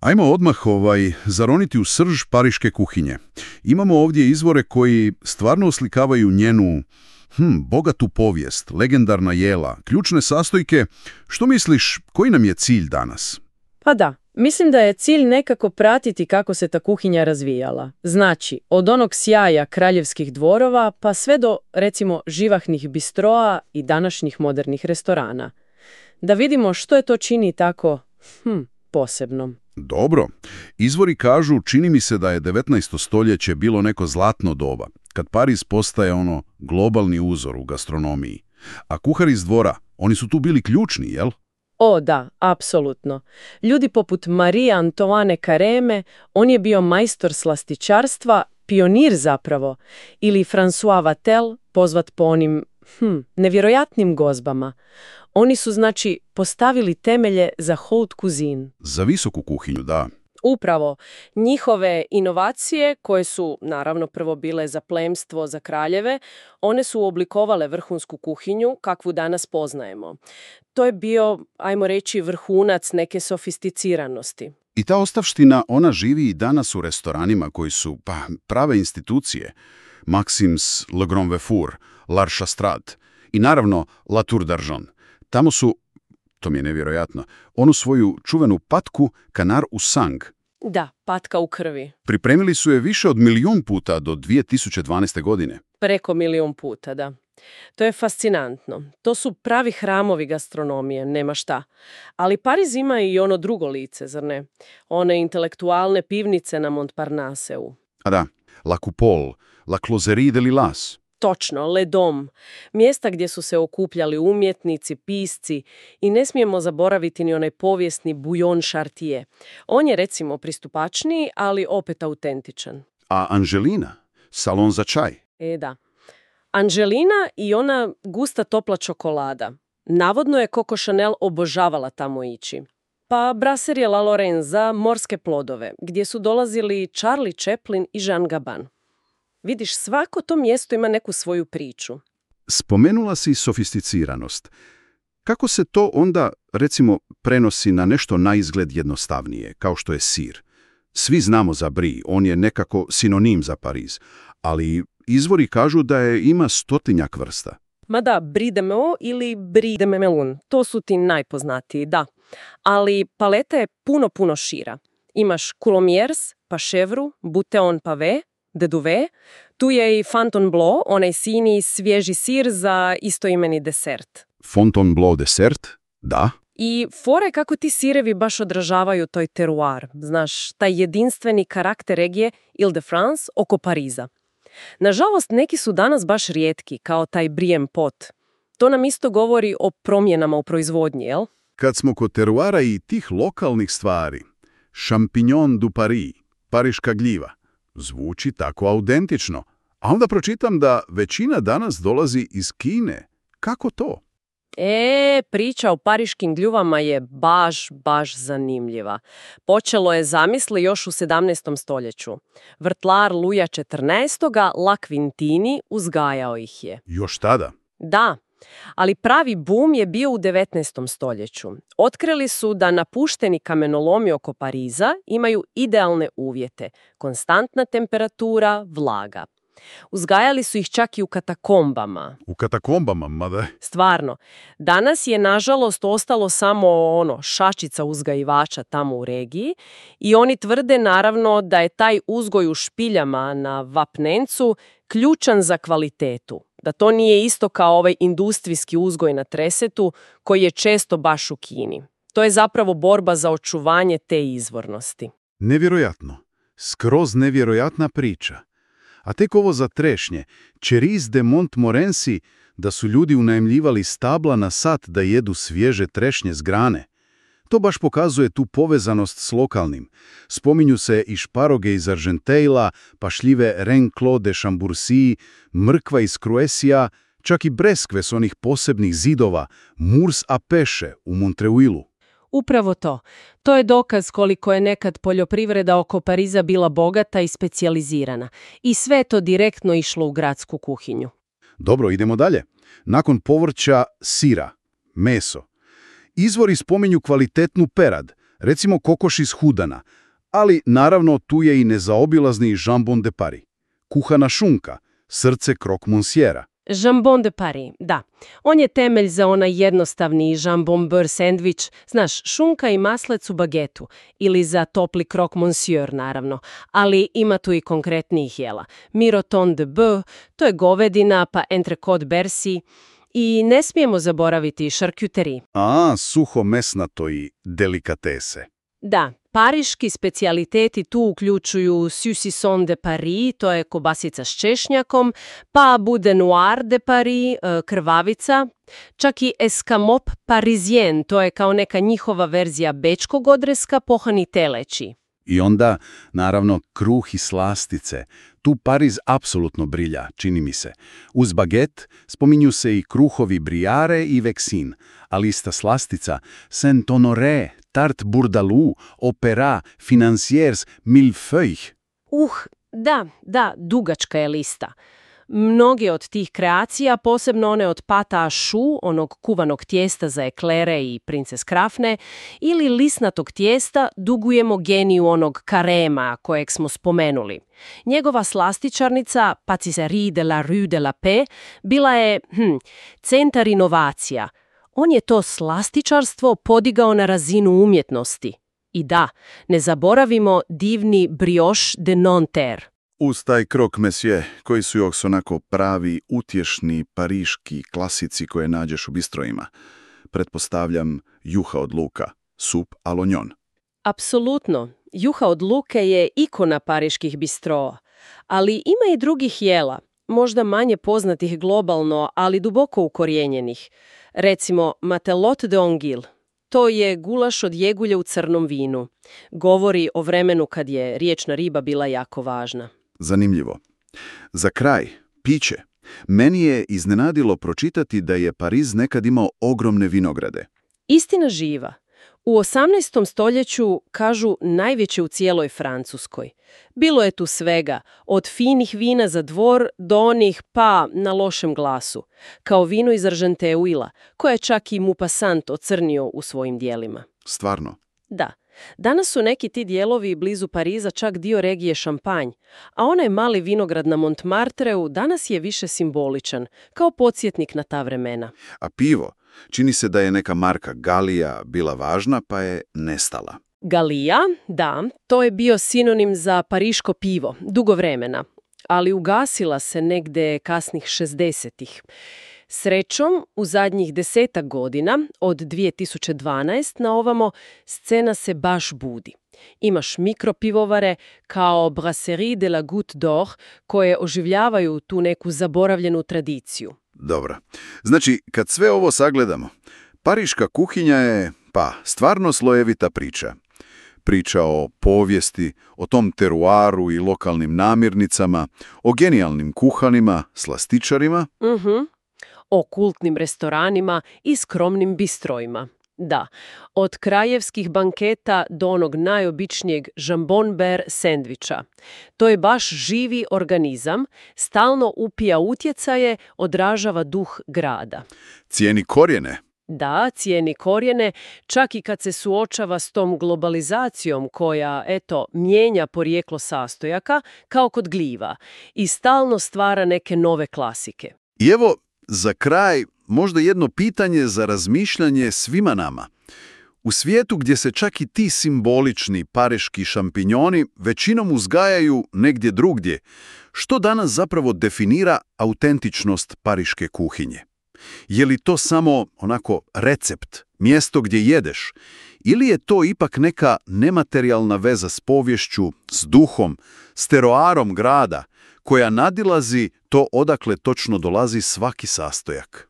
Ajmo odmah zaroniti u srž pariške kuhinje. Imamo ovdje izvore koji stvarno oslikavaju njenu bogatu povijest, legendarna jela, ključne sastojke. Što misliš, koji nam je cilj danas? Pa da, mislim da je cilj nekako pratiti kako se ta kuhinja razvijala. Znači, od onog sjaja kraljevskih dvorova pa sve do, recimo, živahnih bistroa i današnjih modernih restorana. Da vidimo što je to čini tako, posebnom. Dobro. Izvori kažu, čini mi se da je 19. stoljeće bilo neko zlatno doba, kad Pariz postaje globalni uzor u gastronomiji. A kuhari iz dvora, oni su tu bili ključni, jel? O da, apsolutno. Ljudi poput Marie Antoine Carême, on je bio majstor slastičarstva, pionir zapravo, ili François Vatel, pozvat po onim nevjerojatnim gozbama. Oni su, znači, postavili temelje za haute cuisine. Za visoku kuhinju, da. Upravo. Njihove inovacije, koje su, naravno, prvo bile za plemstvo, za kraljeve, one su oblikovale vrhunsku kuhinju kakvu danas poznajemo. To je bio, ajmo reći, vrhunac neke sofisticiranosti. I ta ostavština, ona živi i danas u restoranima koji su prave institucije. Maxims, Le Grand Vefour, L'Arche Strad i naravno La Tour d'Argent. Tamo su, to mi je nevjerojatno, onu svoju čuvenu patku Canard au sang. Da, patka u krvi. Pripremili su je više od 1.000.000 puta do 2012. godine. Preko 1.000.000 puta, da. To je fascinantno. To su pravi hramovi gastronomije, nema šta. Ali Pariz ima i ono drugo lice, zar ne? One intelektualne pivnice na Montparnasseu. A da, La Coupole, La Closerie de Lilas. Točno, Le Dom. Mjesta gdje su se okupljali umjetnici, pisci i ne smijemo zaboraviti ni onaj povijesni Bouillon Chartier. On je, recimo, pristupačniji, ali opet autentičan. A Angelina? Salon za čaj? Da. Angelina i ona gusta topla čokolada. Navodno je Coco Chanel obožavala tamo ići. Pa Brasserie La Lorraine za morske plodove, gdje su dolazili Charlie Chaplin i Jean Gabin. Vidiš, svako to mjesto ima neku svoju priču. Spomenula si sofisticiranost. Kako se to onda, recimo, prenosi na nešto naizgled jednostavnije, kao što je sir? Svi znamo za Brie, on je nekako sinonim za Pariz, ali izvori kažu da je ima 100-tinjak vrsta. Ma da, Brie de Meaux ili Brie de Melun, to su ti najpoznatiji, da. Ali paleta je puno šira. Imaš Coulommiers, pa Chèvre, Bouteon Pavé, de Duvet, tu je i Fontainebleau, onaj sini svježi sir za istoimeni desert. Fontainebleau desert? Da. I fora je kako ti sirevi baš odražavaju toj teruar, znaš, taj jedinstveni karakter regije Ile-de-France oko Pariza. Nažalost, neki su danas baš rijetki, kao taj Brien pot. To nam isto govori o promjenama u proizvodnji, jel? Kad smo kod teruara i tih lokalnih stvari, Champignon du Paris, pariška gljiva, zvuči tako autentično. A onda pročitam da većina danas dolazi iz Kine. Kako to? Priča o pariškim gljuvama je baš zanimljiva. Počelo je, zamisli, još u 17. stoljeću. Vrtlar Luja XIV. La Quintini uzgajao ih je. Još tada? Da, ali pravi boom je bio u 19. stoljeću. Otkrili su da napušteni kamenolomi oko Pariza imaju idealne uvjete. Konstantna temperatura, vlaga. Uzgajali su ih čak i u katakombama. U katakombama, mada? Stvarno. Danas je, nažalost, ostalo samo šačica uzgajivača tamo u regiji i oni tvrde, naravno, da je taj uzgoj u špiljama na vapnencu ključan za kvalitetu. Da to nije isto kao ovaj industrijski uzgoj na tresetu koji je često baš u Kini. To je zapravo borba za očuvanje te izvornosti. Nevjerojatno. Skroz nevjerojatna priča. A tek ovo za trešnje, Cerise de Montmorency, da su ljudi unajmljivali stabla na sat da jedu svježe trešnje s grane. To baš pokazuje tu povezanost s lokalnim. Spominju se i šparoge iz Argenteuila, pa šljive Renclos de Chambourcy, mrkva iz Croatia, čak i breskve s onih posebnih zidova, Murs à Pêche u Montreuilu. Upravo to. To je dokaz koliko je nekad poljoprivreda oko Pariza bila bogata i specijalizirana. I sve je to direktno išlo u gradsku kuhinju. Dobro, idemo dalje. Nakon povrća, sira, meso. Izvori spominju kvalitetnu perad, Recimo kokoš iz Hudana, ali naravno tu je i nezaobilazni jambon de Paris. Kuhana šunka, srce croque monsiera. Jambon de Paris, da. On je temelj za onaj jednostavni jambon beurre sandvič, znaš, šunka i maslec u bagetu, ili za topli croque monsieur, naravno, ali ima tu i konkretnijih jela. Miroton de bœuf, to je govedina, pa entrecôte bersi, i ne smijemo zaboraviti charcuterie. Suho mesnato i delikatese. Da, pariški specijaliteti tu uključuju saucisson de Paris, to je kobasica s češnjakom, pa boudin noir de Paris, krvavica, čak i escamope parisien, to je kao neka njihova verzija bečkog odreska, pohani teleći. I onda, naravno, kruh i slastice. Tu Pariz apsolutno brilja, čini mi se. Uz baget spominju se i kruhovi Briare i Vexin, ali ista slastica Saint-Honoré, Tarte Bourdaloue, Opéra, Financiers, Millefeuille. Da, dugačka je lista. Mnoge od tih kreacija, posebno one od pâte à choux, onog kuvanog tijesta za eklere i princes krafne, ili lisnatog tijesta, dugujemo geniju onog karema kojeg smo spomenuli. Njegova slastičarnica, Pâtisserie de la Rue de la Paix, bila je centar inovacija. On je to slastičarstvo podigao na razinu umjetnosti. I da, ne zaboravimo divni brioche de Nanterre. Uz taj croque monsieur, koji su još onako pravi, utješni, pariški klasici koje nađeš u bistrojima. Pretpostavljam juha od luka, sup à l'oignon. Apsolutno. Juha od luke je ikona pariških bistroa. Ali ima i drugih jela, možda manje poznatih globalno, ali duboko ukorijenjenih. Recimo, matelote de anguille. To je gulaš od jegulja u crnom vinu. Govori o vremenu kad je riječna riba bila jako važna. Zanimljivo. Za kraj, piće. Meni je iznenadilo pročitati da je Pariz nekad imao ogromne vinograde. Istina živa. U 18. stoljeću, kažu, najveće u cijeloj Francuskoj. Bilo je tu svega, od finih vina za dvor do onih pa na lošem glasu, kao vino iz Argenteuila, koje je čak i Maupassant ocrnio u svojim dijelima. Stvarno? Da. Danas su neki ti dijelovi blizu Pariza čak dio regije Šampanj, a onaj mali vinograd na Montmartreu danas je više simboličan, kao podsjetnik na ta vremena. A pivo? Čini se da je neka marka Galija bila važna, pa je nestala. Galija, da, to je bio sinonim za pariško pivo, dugo vremena, ali ugasila se negde kasnih 60-ih. Srećom, u zadnjih 10 godina, od 2012 na ovamo, scena se baš budi. Imaš mikropivovare kao Brasserie de la Goutte d'Or koje oživljavaju tu neku zaboravljenu tradiciju. Dobro. Znači, kad sve ovo sagledamo, pariška kuhinja je, stvarno slojevita priča. Priča o povijesti, o tom teruaru i lokalnim namirnicama, o genijalnim kuhanima, slastičarima. O kultnim restoranima i skromnim bistrojima. Da, od krajevskih banketa do onog najobičnijeg jambon beurre sendviča. To je baš živi organizam, stalno upija utjecaje, odražava duh grada. Cijeni korijene. Da, cijeni korijene, čak i kad se suočava s tom globalizacijom koja, mijenja porijeklo sastojaka, kao kod gljiva, i stalno stvara neke nove klasike. I evo, za kraj, možda jedno pitanje za razmišljanje svima nama. U svijetu gdje se čak i ti simbolični pariški šampinjoni većinom uzgajaju negdje drugdje, što danas zapravo definira autentičnost pariške kuhinje? Je li to samo onako recept, mjesto gdje jedeš, ili je to ipak neka nematerijalna veza s poviješću, s duhom, s teroarom grada, koja nadilazi to odakle točno dolazi svaki sastojak?